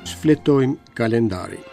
Shfletojmë kalendarin.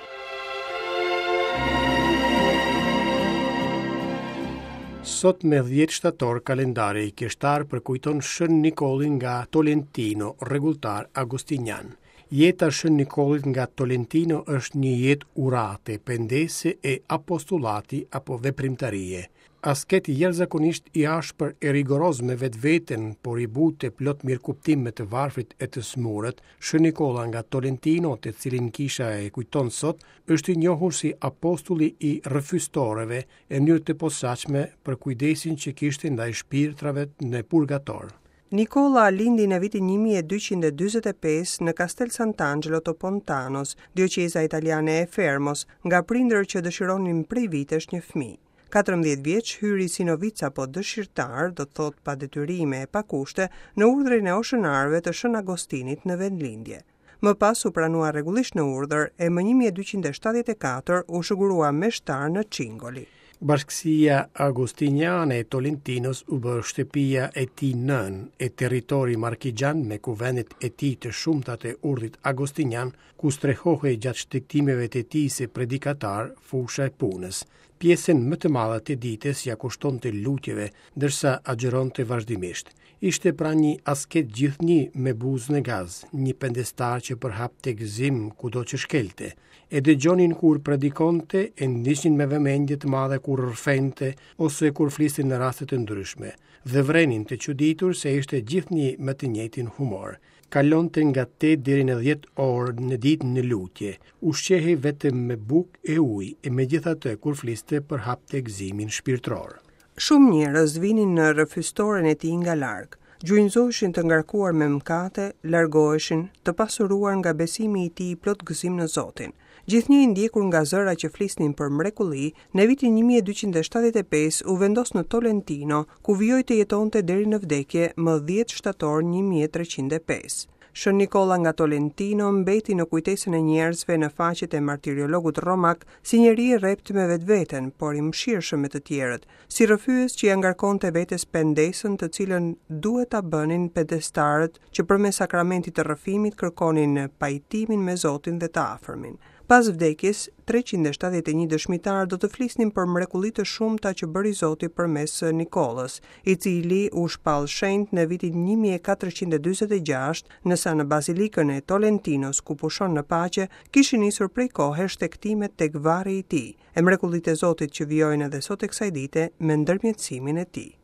Sot me 10 shtator kalendari kishtar përkujton Shën Nikollin nga Tolentino, rregulltar agostinian. Jeta e Shën Nikollit nga Tolentino është një jetë urate, pendese e apostulati apo veprimtarie. Asket jashtëzakonisht i ashpër e rigoroz me vetveten, por i butë e plot mirëkuptim me të varfrit e të sëmurët, Shën Nikolla nga Tolentino, të cilin kisha e kujton sot, është i njohur si apostulli i rrëfystoreve e në mënyrë të posaçme për kujdesin që kishte ndaj shpirtrave në purgator. Nikolla lindi në vitin 1245 në Castel Sant'Angelo të Pontanos, dioqeza italiane e Fermos, nga prindër që dëshironin prej vitesh një fëmijë. 14 vjeç hyri si novic apo dëshirtar, do të thotë pa detyrime e pa kushte, në urdhrin e oshënarëve të Shën Agostinit në vendlindje. Më pas u pranua rregullisht në urdhër e më 1274 u shugurua meshtar në Cingoli. Bashkësia Agostiniane e Tolentinos u bë shtëpia e tij nënë, e territori markixhan me kuvendet e tij të shumta të urdhrit agostinian, ku strehohej gjatë shtegtimeve të tij si predikatar, fusha e punës. Pjesën më të madhe të ditës ia kushtonte lutjeve, ndërsa agjëronte vazhdimisht. Ishte pra një asket gjithnjë me buzë në gaz, një pendestar që përhapte gëzim kudo që shkelte. E dëgjonin kur predikonte, e ndiqnin me vëmendje të madhe kur rrëfente ose kur fliste në raste të ndryshme, dhe vërenin të çuditur se ishte gjithnjë me të njëjtin humor. Kalonte nga 8 deri në 10 orë në ditë në lutje. Ushqehej vetëm me bukë e ujë e megjithatë kur fliste përhapte gëzimin shpirtëror. Shumë njerëz vinin në rrëfystoren e tij nga larg. Gjunjëzoheshin të ngarkuar me mëkate, largoheshin, të pasuruar nga besimi i tij plot gëzim në Zotin. Gjithnjë i ndjekur nga zëra që flisnin për mrekulli, në vitin 1275 u vendos në Tolentino, ku vijoi të jetonte deri në vdekje më 10 shtator 1305. Shën Nikolla nga Tolentino mbeti në kujtesën e njerëzve në faqet e martiriologut romak si njeri i rreptë me vetveten, por i mëshirshëm me të tjerët, si rrëfyes që ia ngarkonte vetes pendesën të cilën duhet ta bënin pendestarët që përmes sakramentit të rrëfimit kërkonin pajtimin me Zotin dhe të afërmin. Pas vdekjes, 371 dëshmitarë do të flisnin për mrekulli të shumta që bëri Zoti përmes Nikollës, i cili u shpall shenjt në vitin 1446, ndërsa në Bazilikën e Tolentinos, ku pushon në paqe, kishin nisur prej kohe shtegtimet tek varri i tij. E mrekullitë e Zotit që vijojnë edhe sot e kësaj dite me ndërmjetësimin e tij.